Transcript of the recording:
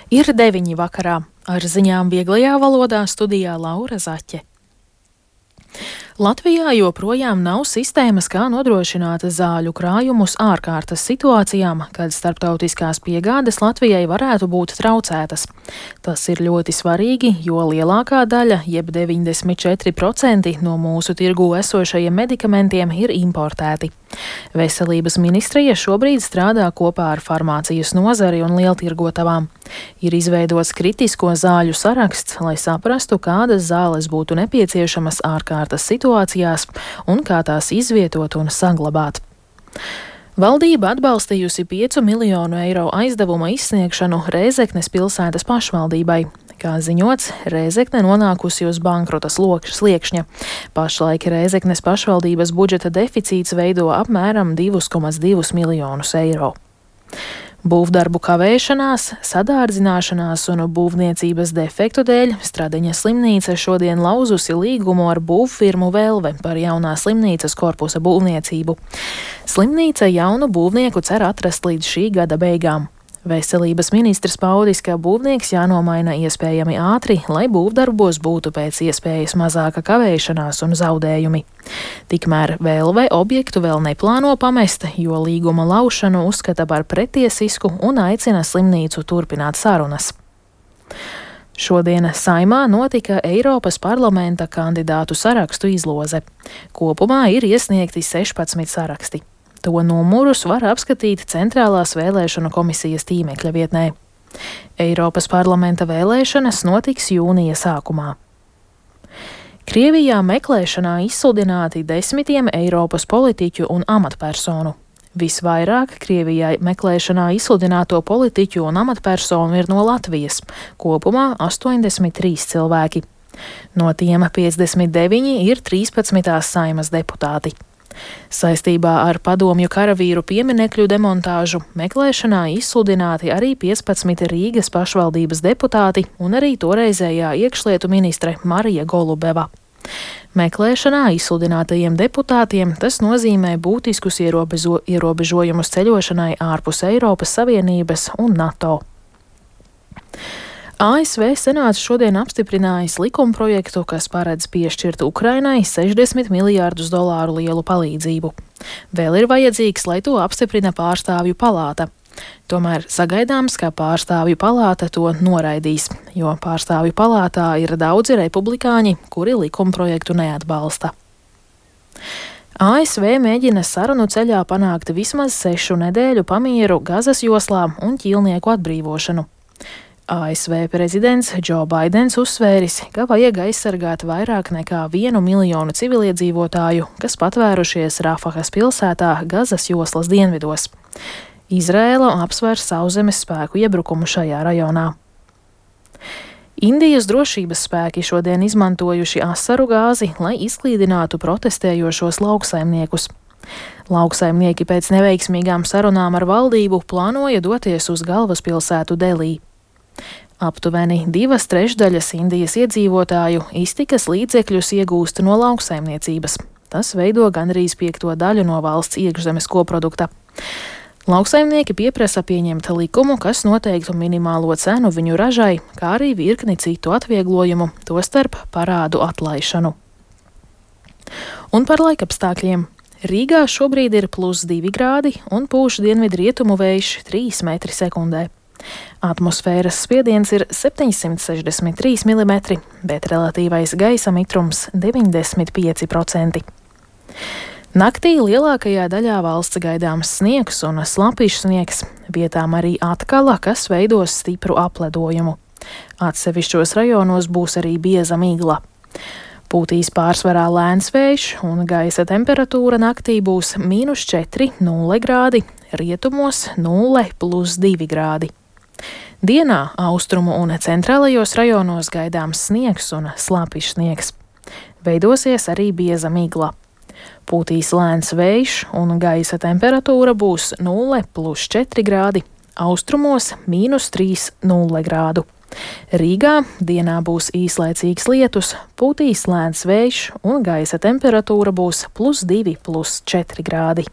Ir 9 vakarā. Ar ziņām vieglajā valodā studijā Laura Zaķe. Latvijā joprojām nav sistēmas, kā nodrošināt zāļu krājumus ārkārtas situācijām, kad starptautiskās piegādes Latvijai varētu būt traucētas. Tas ir ļoti svarīgi, jo lielākā daļa, jeb 94% no mūsu tirgū esošajiem medikamentiem ir importēti. Veselības ministrija šobrīd strādā kopā ar farmācijas nozari un lieltirgotavām. Ir izveidots kritisko zāļu saraksts, lai saprastu, kādas zāles būtu nepieciešamas ārkārtas situācijās un kā tās izvietot un saglabāt. Valdība atbalstījusi 5 miljonu eiro aizdevuma izsniegšanu Rēzeknes pilsētas pašvaldībai. Kā ziņots, Rēzekne nonākusi uz bankrota sliekšņa. Pašlaik Rēzeknes pašvaldības budžeta deficīts veido apmēram 2,2 miljonus eiro. Būvdarbu kavēšanās, sadārdzināšanās un būvniecības defektu dēļ Stradeņa slimnīca šodien lauzusi līgumu ar būvfirmu Velve par jaunā slimnīcas korpusa būvniecību. Slimnīca jaunu būvnieku cer atrast līdz šī gada beigām. Veselības ministrs paudis, ka būvnieks jānomaina iespējami ātri, lai būvdarbos būtu pēc iespējas mazāka kavēšanās un zaudējumi. Tikmēr Velve objektu vēl neplāno pamest, jo līguma laušanu uzskata par pretiesisku un aicina slimnīcu turpināt sarunas. Šodien Saeimā notika Eiropas parlamenta kandidātu sarakstu izloze. Kopumā ir iesniegti 16 saraksti. To numurus var apskatīt Centrālās vēlēšanu komisijas tīmekļa vietnē. Eiropas parlamenta vēlēšanas notiks jūnija sākumā. Krievijā meklēšanā izsludināti 10 Eiropas politiķu un amatpersonu. Visvairāk Krievijā meklēšanā izsludināto politiķu un amatpersonu ir no Latvijas, kopumā 83 cilvēki. No tiem 59 ir 13. Saeimas deputāti. Saistībā ar padomju karavīru pieminekļu demontāžu meklēšanā izsludināti arī 15 Rīgas pašvaldības deputāti un arī toreizējā iekšlietu ministre Marija Golubeva. Meklēšanā izsludinātajiem deputātiem tas nozīmē būtiskus ierobežojumus ceļošanai ārpus Eiropas Savienības un NATO. ASV Senāts šodien apstiprinājis likumprojektu, kas paredz piešķirt Ukrainai $60 miljārdus lielu palīdzību. Vēl ir vajadzīgs, lai to apstiprina pārstāvju palāta. Tomēr sagaidāms, ka pārstāvju palāta to noraidīs, jo pārstāvju palātā ir daudzi republikāņi, kuri likumprojektu neatbalsta. ASV mēģina sarunu ceļā panākt vismaz 6 nedēļu pamieru Gazas joslā un ķīlnieku atbrīvošanu. ASV prezidents Džo Baidens uzsvēris, ka vajag aizsargāt vairāk nekā 1 miljonu civiliedzīvotāju, kas patvērušies Rafahas pilsētā Gazas joslas dienvidos. Izraēla apsver sauszemes spēku iebrukumu šajā rajonā. Indijas drošības spēki šodien izmantojuši asaru gāzi, lai izklīdinātu protestējošos lauksaimniekus. Lauksaimnieki pēc neveiksmīgām sarunām ar valdību plānoja doties uz galvaspilsētu Delī. Aptuveni 2/3 Indijas iedzīvotāju iztikas līdzekļus iegūst no lauksaimniecības. Tas veido gandrīz 5 daļu no valsts iekšzemes koprodukta. Lauksaimnieki pieprasa pieņemt likumu, kas noteiktu minimālo cenu viņu ražai, kā arī virkni citu atvieglojumu, tostarp parādu atlaišanu. Un par laikapstākļiem. Rīgā šobrīd ir +2 grādi un pūš dienvidrietumu vējš 3 metri sekundē. Atmosfēras spiediens ir 763 mm, bet relatīvais gaisa mitrums 95%. Naktī lielākajā daļā valsts gaidāms sniegs un slapjš sniegs, vietām arī atkala, kas veidos stipru apledojumu. Atsevišķos rajonos būs arī bieza migla. Pūtīs pārsvarā lēns vējš un gaisa temperatūra naktī būs -4, 0 grādi, rietumos 0, +2 grādi. Dienā austrumu un centrālajos rajonos gaidāms sniegs un slapjš sniegs. Veidosies arī bieza migla. Pūtīs lēns vējš un gaisa temperatūra būs 0, +4 grādi, austrumos -3, 0 grādu. Rīgā dienā būs īslaicīgs lietus, pūtīs lēns vējš un gaisa temperatūra būs +2, +4 grādi.